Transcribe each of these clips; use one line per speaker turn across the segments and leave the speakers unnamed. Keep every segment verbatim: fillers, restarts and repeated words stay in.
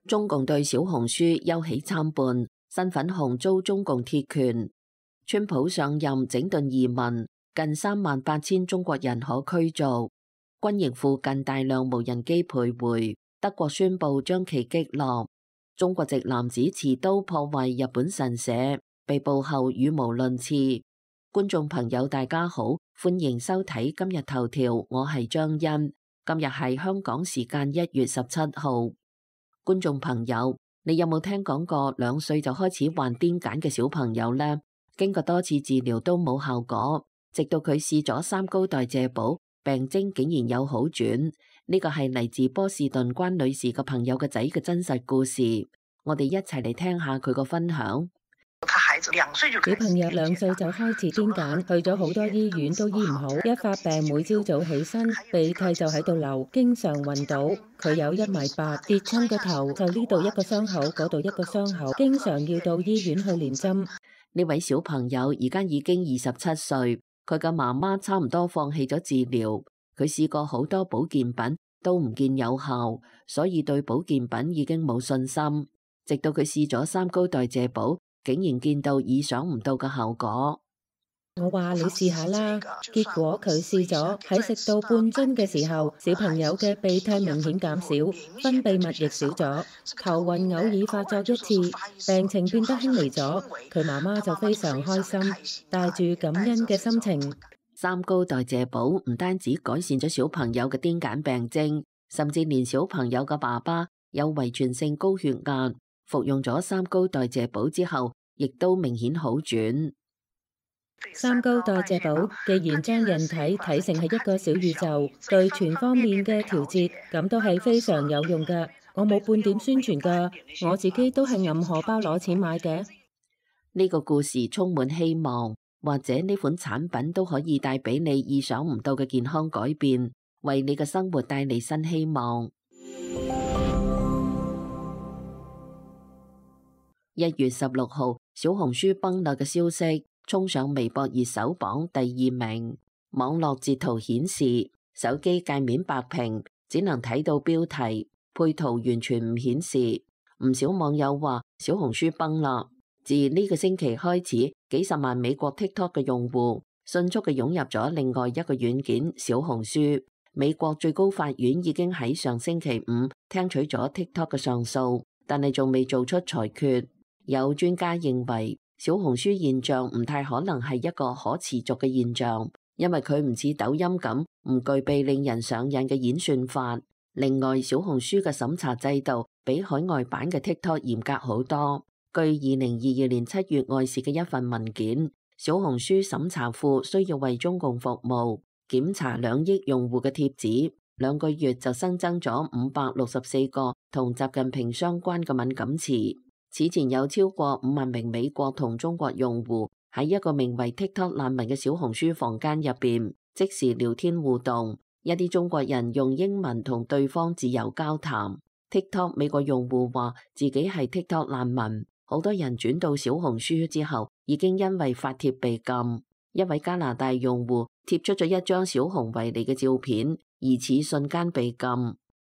中共對小紅書憂喜參半，新粉紅遭中共鐵拳。川普上任整頓移民，近三萬八千中國人可驅逐。軍營附近大量無人機徘徊，德國宣布將其擊落。中國籍男子持刀破壞日本神社，被捕後語無倫次。觀眾朋友大家好，歡迎收睇今日頭條，我係張欣。今日係香港時間一月十七號。觀眾朋友，你有冇聽講過兩歲就開始患癲癇嘅小朋友呢？經過多次治療都冇效果，直到佢試咗三高代謝寶，病徵竟然有好轉。呢個係嚟自波士頓關女士嘅朋友嘅仔嘅真實故事，我哋一齊嚟聽下佢個分享。
小朋友兩歲就開始癲癇，去咗好多醫院都醫唔好，一發病每朝早起身鼻涕就喺度流，經常暈倒。佢有一米八，跌親個頭就呢度一個傷口，嗰度一個傷口，經常要到醫院去連針。
呢位小朋友而家已經二十七歲，佢嘅媽媽差唔多放棄咗治療，佢試過好多保健品都唔見有效，所以對保健品已經冇信心。直到佢試咗三高代謝寶，竟然見到意想唔到嘅效果。
我話你試下啦，結果佢試咗，喺食到半樽嘅時候，小朋友嘅鼻涕明顯減少，分泌物亦少咗，頭暈偶爾發作一次，病情變得輕微咗。佢媽媽就非常開心，帶住感恩嘅心情。
三高代謝寶唔單止改善咗小朋友嘅癲癇病徵，甚至連小朋友嘅爸爸有遺傳性高血壓，服用咗三高代謝寶之後，亦都明顯好轉。
三高代謝寶既然將人體睇成係一個小宇宙，對全方面嘅調節，咁都係非常有用㗎。我冇半點宣傳㗎，我自己都係揞荷包攞錢買嘅。
呢個故事充滿希望，或者呢款產品都可以帶俾你意想唔到嘅健康改變，為你嘅生活帶嚟新希望。一月十六號，小紅書崩落嘅消息衝上微博熱搜榜第二名。網絡截圖顯示，手機界面白屏，只能睇到標題，配圖完全唔顯示。唔少網友話小紅書崩啦。自呢個星期開始，幾十萬美國 TikTok 嘅用戶迅速嘅湧入咗另外一個軟件小紅書。美國最高法院已經喺上星期五聽取咗 TikTok 嘅上訴，但係仲未做出裁決。有專家認為，小紅書現象唔太可能係一個可持續嘅現象，因為佢唔似抖音咁唔具備令人上癮嘅演算法。另外，小紅書嘅審查制度比海外版嘅 TikTok 嚴格好多。據二零二二年七月外泄嘅一份文件，小紅書審查庫需要為中共服務，檢查兩億用戶嘅貼紙，兩個月就新增咗五百六十四個同習近平相關嘅敏感詞。此前有超過五萬名美國同中國用戶喺一個名為 TikTok 難民嘅小紅書房間入邊即時聊天互動，一啲中國人用英文同對方自由交談。TikTok 美國用戶話自己係 TikTok 難民，好多人轉到小紅書之後已經因為發帖被禁。一位加拿大用戶貼出咗一張小熊維尼嘅照片，疑似瞬間被禁。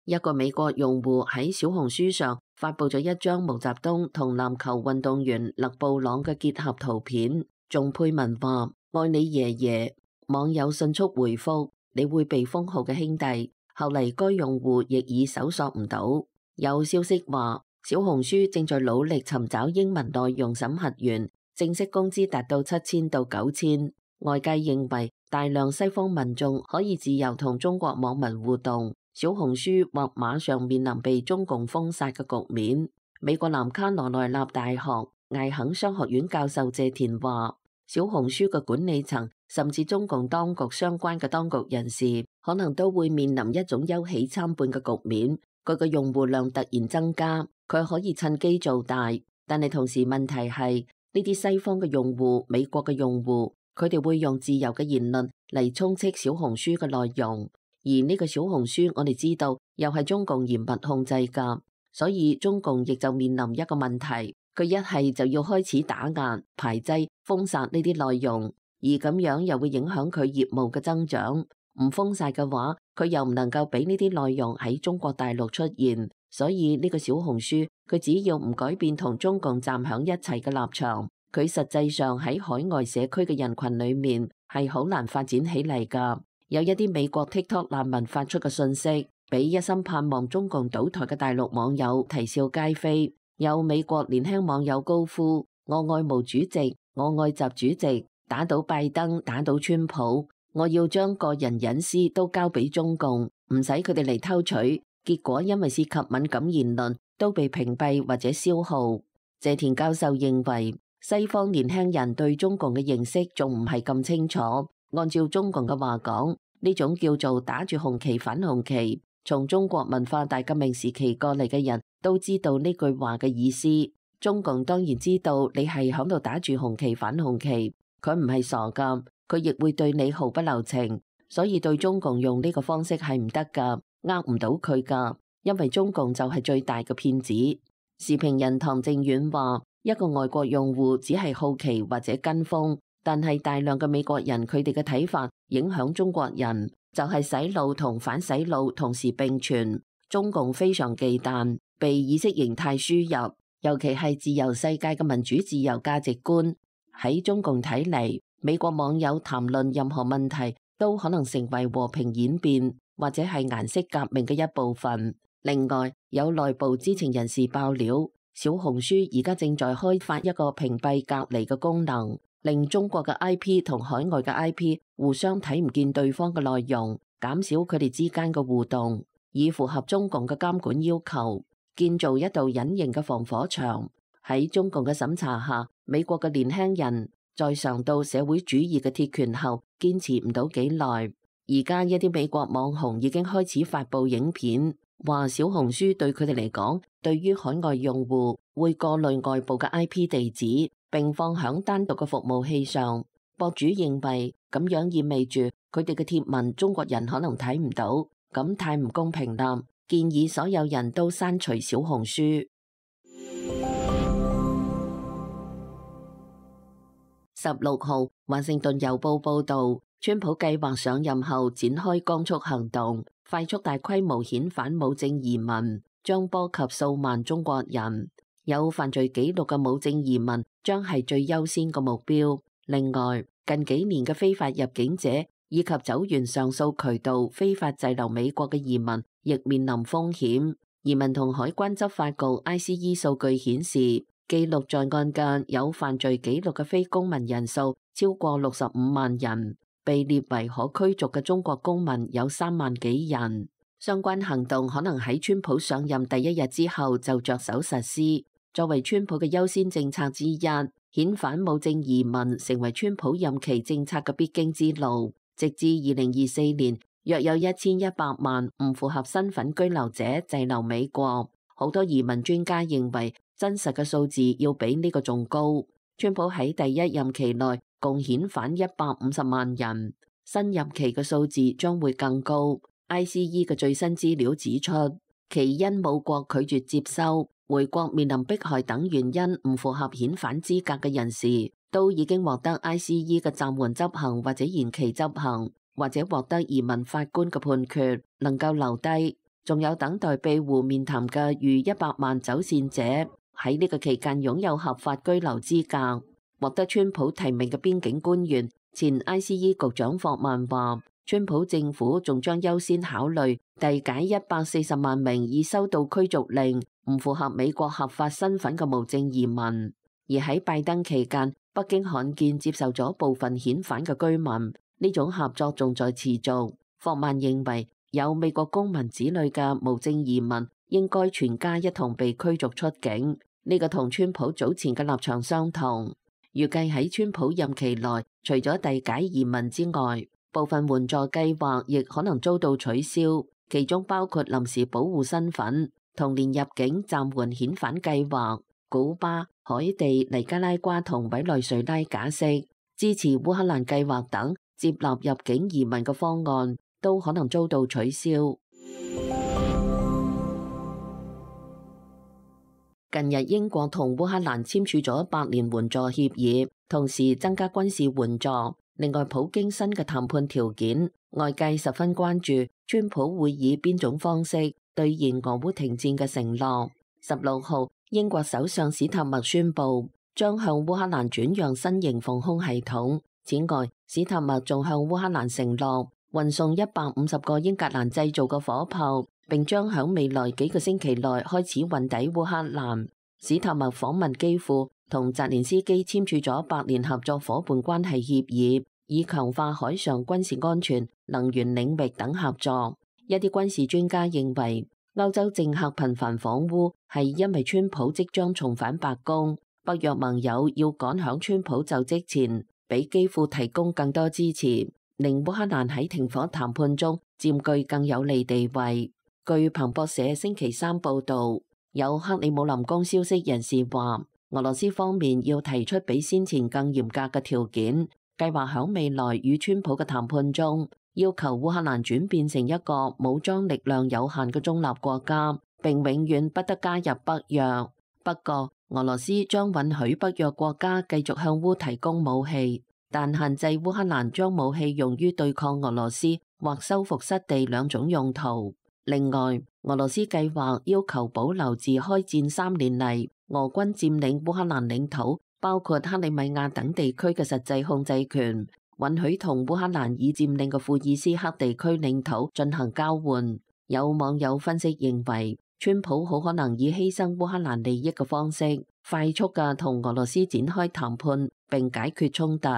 一個美國用戶喺小紅書上發佈咗一張毛澤東同籃球運動員勒布朗嘅結合圖片，仲配文話愛你爺爺。網友迅速回覆你會被封號嘅兄弟。後嚟該用戶亦已搜索唔到。有消息話小紅書正在努力尋找英文內容審核員，正式工資達到七千到九千。外界認為大量西方民眾可以自由同中國網民互動，小紅書或馬上面臨被中共封殺嘅局面。美國南卡羅來納大學艾肯商學院教授謝田話，小紅書嘅管理層甚至中共當局相關嘅當局人士，可能都會面臨一種憂喜參半嘅局面。佢嘅用戶量突然增加，佢可以趁機做大，但係同時問題係呢啲西方嘅用戶、美國嘅用戶，佢哋會用自由嘅言論嚟充斥小紅書嘅內容。而呢個小紅書我哋知道又係中共嚴密控制㗎，所以中共亦就面臨一個問題，佢一係就要開始打壓、排擠、封殺呢啲內容，而咁樣又會影響佢業務嘅增長。唔封殺嘅話，佢又唔能夠俾呢啲內容喺中國大陸出現，所以呢個小紅書佢只要唔改變同中共站響一齊嘅立場，佢實際上喺海外社區嘅人群裏面係好難發展起嚟㗎。有一啲美國 TikTok 難民發出嘅信息，俾一心盼望中共倒台嘅大陸網友啼笑皆非。有美國年輕網友高呼：我愛毛主席，我愛習主席，打倒拜登，打倒川普，我要將個人隱私都交俾中共，唔使佢哋嚟偷取。結果因為涉及敏感言論，都被屏蔽或者消耗。謝田教授認為，西方年輕人對中共嘅認識仲唔係咁清楚。按照中共嘅話講，呢種叫做打住紅旗反紅旗，從中國文化大革命時期過嚟嘅人都知道呢句話嘅意思。中共當然知道你係響度打住紅旗反紅旗，佢唔係傻噶，佢亦會對你毫不留情，所以對中共用呢個方式係唔得噶。呃唔到佢噶，因為中共就係最大嘅騙子。時評人唐正遠話：一個外國用戶只係好奇或者跟風，但係大量嘅美國人佢哋嘅睇法影響中國人，就係洗腦同反洗腦同時並存。中共非常忌憚被意識形態輸入，尤其係自由世界嘅民主自由價值觀。喺中共睇嚟，美國網友談論任何問題都可能成為和平演變，或者係顏色革命嘅一部分。另外，有內部知情人士爆料，小紅書而家正在開發一個屏蔽隔離嘅功能，令中國嘅 I P 同海外嘅 I P 互相睇唔見對方嘅內容，減少佢哋之間嘅互動，以符合中共嘅監管要求，建造一道隱形嘅防火牆。喺中共嘅審查下，美國嘅年輕人在嘗到社會主義嘅鐵拳後，堅持唔到幾耐。而家一啲美國網紅已經開始發布影片，話小紅書對佢哋嚟講，對於海外用戶會過濾外部嘅 I P 地址，並放響單獨嘅服務器上。博主認為咁樣意味住佢哋嘅貼文中國人可能睇唔到，咁太唔公平啦！建議所有人都刪除小紅書。十六號，華盛頓郵報報導，川普計劃上任後展開光速行動，快速大規模遣返無證移民，將波及數萬中國人。有犯罪記錄嘅無證移民將係最優先嘅目標。另外，近幾年嘅非法入境者以及走完上訴渠道非法滯留美國嘅移民，亦面臨風險。移民同海關執法局 I C E 數據顯示，記錄在案嘅有犯罪記錄嘅非公民人數超過六十五萬人，被列為可驅逐嘅中國公民有三萬幾人。相關行動可能喺川普上任第一日之後就着手實施，作為川普嘅優先政策之一。遣返無證移民成為川普任期政策嘅必經之路，直至二零二四年，約有一千一百萬唔符合身份居留者滯留美國。好多移民專家認為，真實嘅數字要比呢個仲高。川普喺第一任期內共遣返一百五十萬人，新任期嘅數字將會更高。I C E 嘅最新資料指出，其因母國拒絕接收、回國面臨迫害等原因唔符合遣返資格嘅人士，都已經獲得 I C E 嘅暫緩執行或者延期執行，或者獲得移民法官嘅判決，能夠留低。仲有等待庇護面談嘅逾一百萬走線者，喺呢個期間擁有合法居留資格。獲得川普提名嘅邊境官員、前 I C E 局長霍曼話，川普政府仲將優先考慮遞解一百四十萬名已收到驅逐令、唔符合美國合法身份嘅無證移民。而喺拜登期間，北京罕見接受咗部分遣返嘅居民，呢種合作仲在持續。霍曼認為，有美國公民子女嘅無證移民應該全家一同被驅逐出境，呢個同川普早前嘅立場相同。預計喺川普任期內，除咗遞解移民之外，部分援助計劃亦可能遭到取消，其中包括臨時保護身份、同年入境暫緩遣返計劃。古巴、海地、尼加拉瓜同委內瑞拉假釋支持烏克蘭計劃等接納入境移民嘅方案，都可能遭到取消。近日，英國同烏克蘭簽署咗百年援助協議，同時增加軍事援助。另外，普京新嘅談判條件，外界十分關注，川普會以邊種方式兌現俄烏停戰嘅承諾。十六號，英國首相史塔默宣布將向烏克蘭轉讓新型防空系統。此外，史塔默仲向烏克蘭承諾運送一百五十個英格蘭製造嘅火炮，並將響未來幾個星期內開始運抵烏克蘭。史塔默訪問基輔，同澤連斯基簽署咗百年合作夥伴關係協議，以強化海上軍事安全、能源領域等合作。一啲軍事專家認為，歐洲政客頻繁訪烏係因為川普即將重返白宮，北約盟友要趕響川普就職前，俾基輔提供更多支持，令烏克蘭喺停火談判中佔據更有利地位。據彭博社星期三報導，有克里姆林宮消息人士話，俄羅斯方面要提出比先前更嚴格嘅條件，計劃響未來與川普嘅談判中，要求烏克蘭轉變成一個武裝力量有限嘅中立國家，並永遠不得加入北約。不過，俄羅斯將允許北約國家繼續向烏提供武器，但限制烏克蘭將武器用於對抗俄羅斯或收復失地兩種用途。另外，俄羅斯計劃要求保留自開戰三年嚟俄軍佔領烏克蘭領土，包括克里米亞等地區嘅實際控制權，允許同烏克蘭已佔領嘅庫爾斯克地區領土進行交換。有網友分析認為，川普好可能以犧牲烏克蘭利益嘅方式，快速嘅同俄羅斯展開談判並解決衝突。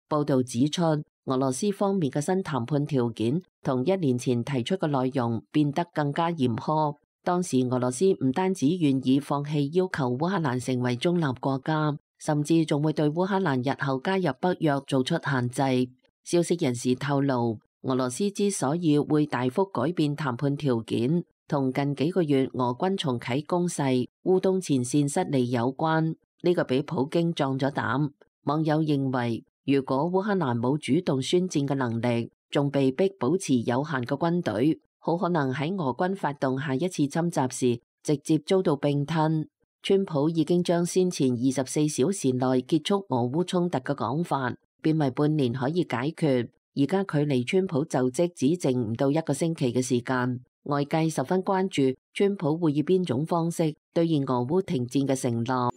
報導指出，俄羅斯方面嘅新談判條件同一年前提出嘅內容變得更加嚴苛。當時俄羅斯唔單止願意放棄要求烏克蘭成為中立國家，甚至仲會對烏克蘭日後加入北約做出限制。消息人士透露，俄羅斯之所以會大幅改變談判條件，同近幾個月俄軍重啟攻勢、烏東前線失利有關。呢個俾普京壯咗膽。網友認為，如果烏克蘭冇主動宣戰嘅能力，仲被逼保持有限嘅軍隊，好可能喺俄軍發動下一次侵襲時，直接遭到併吞。川普已經將先前二十四小時內結束俄烏衝突嘅講法，變為半年可以解決。而家距離川普就職只剩唔到一個星期嘅時間，外界十分關注川普會以邊種方式兌現俄烏停戰嘅承諾。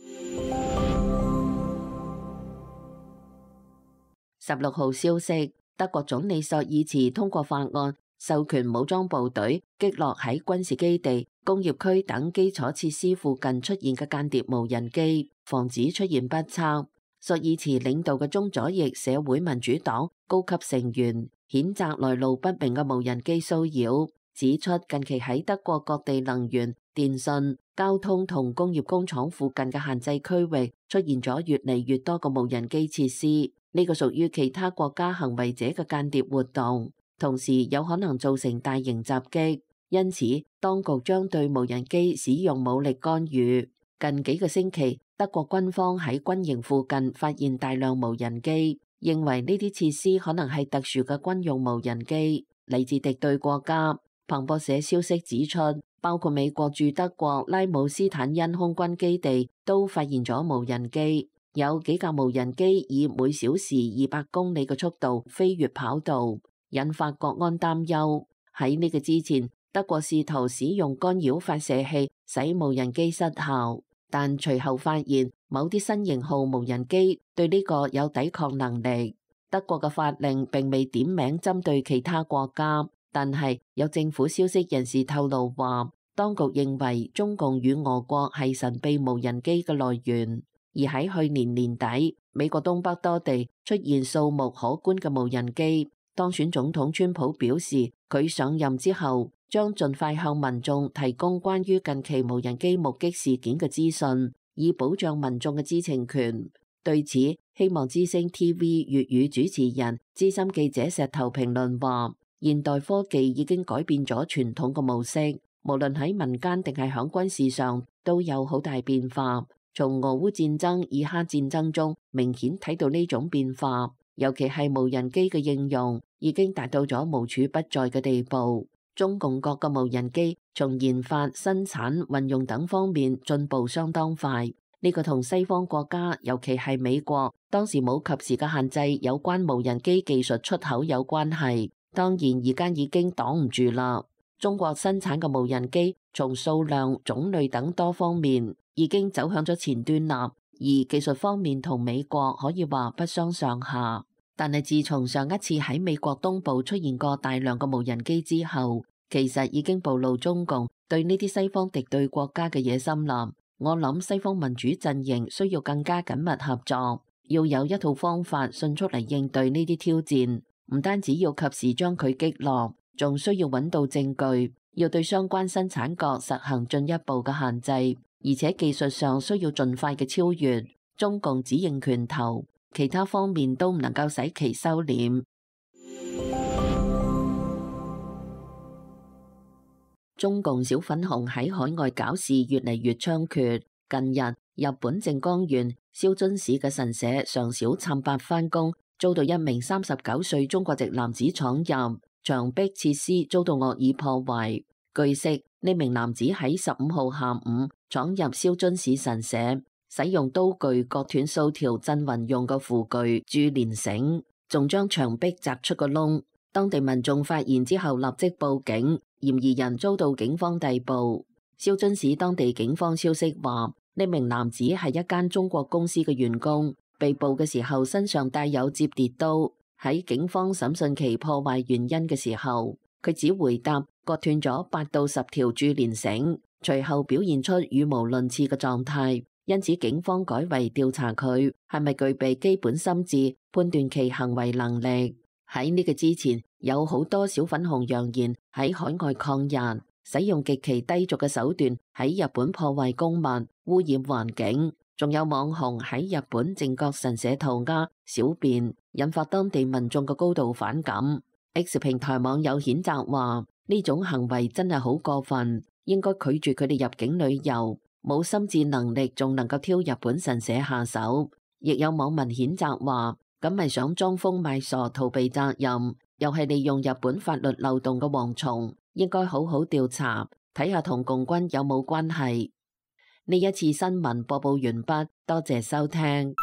十六號消息，德國總理朔爾茨通過法案，授權武裝部隊擊落喺軍事基地、工業區等基礎設施附近出現嘅間諜無人機，防止出現不測。朔爾茨領導嘅中左翼社會民主黨高級成員譴責來路不明嘅無人機騷擾，指出近期喺德國各地能源、電信、交通同工業工廠附近嘅限制區域出現咗越嚟越多嘅無人機設施，呢個屬於其他國家行為者嘅間諜活動，同時有可能造成大型襲擊，因此當局將對無人機使用武力干預。近幾個星期，德國軍方喺軍營附近發現大量無人機，認為呢啲設施可能係特殊嘅軍用無人機，嚟自敵對國家。彭博社消息指出，包括美國駐德國拉姆斯坦因空軍基地都發現咗無人機，有幾架無人機以每小時二百公里嘅速度飛越跑道，引發國安擔憂。喺呢個之前，德國試圖使用干擾發射器使無人機失效，但隨後發現某啲新型號無人機對呢個有抵抗能力。德國嘅法令並未點名針對其他國家，但係有政府消息人士透露話，當局認為中共與俄國係神秘無人機嘅來源。而喺去年年底，美國東北多地出現數目可觀嘅無人機。當選總統川普表示，佢上任之後將盡快向民眾提供關於近期無人機目擊事件嘅資訊，以保障民眾嘅知情權。對此，希望之聲 T V 粵語主持人、資深記者石頭評論話：現代科技已經改變咗傳統嘅模式，無論喺民間定係響軍事上都有好大變化。從俄烏戰爭、以哈戰爭中明顯睇到呢種變化，尤其係無人機嘅應用已經達到咗無處不在嘅地步。中共各個無人機從研發、生產、運用等方面進步相當快，呢個同西方國家，尤其係美國，當時冇及時嘅限制有關無人機技術出口有關係。當然而家已經擋唔住啦。中國生產嘅無人機從數量、種類等多方面已經走向咗前端啦，而技術方面同美國可以話不相上下。但係自從上一次喺美國東部出現過大量嘅無人機之後，其實已經暴露中共對呢啲西方敵對國家嘅野心啦。我諗西方民主陣營需要更加緊密合作，要有一套方法迅速嚟應對呢啲挑戰，唔單止要及時將佢擊落，仲需要揾到證據，要對相關生產國實行進一步嘅限制，而且技術上需要盡快嘅超越。中共只認拳頭，其他方面都唔能夠使其收斂。中共小粉紅喺海外搞事越嚟越猖獗。近日，日本靜岡縣燒津市嘅神社上小懺八番宮，遭到一名三十九歲中國籍男子闖入，牆壁設施遭到惡意破壞。據悉，呢名男子喺十五號下午闖入燒津市神社，使用刀具割斷數條鎮魂用嘅符具注連繩，仲將牆壁砸出個窿。當地民眾發現之後立即報警，嫌疑人遭到警方逮捕。燒津市當地警方消息話，呢名男子係一間中國公司嘅員工，被捕嘅時候身上帶有摺疊刀。喺警方審訊其破壞原因嘅時候，佢只回答割斷咗八到十條注連繩，隨後表現出語無倫次嘅狀態，因此警方改為調查佢係咪具備基本心智，判斷其行為能力。喺呢個之前，有好多小粉紅揚言喺海外抗日，使用極其低俗嘅手段喺日本破壞公物、污染環境，仲有網紅喺日本靖國神社塗鴉、小便，引發當地民眾嘅高度反感。X 平台網友譴責話：呢種行為真係好過分，應該拒絕佢哋入境旅遊，冇心智能力仲能夠挑日本神社下手。亦有網民譴責話：咁咪想裝瘋賣傻逃避責任，又係利用日本法律漏洞嘅蝗蟲，應該好好調查，睇下同共軍有冇關係。呢一次新聞播報完畢，多謝收聽。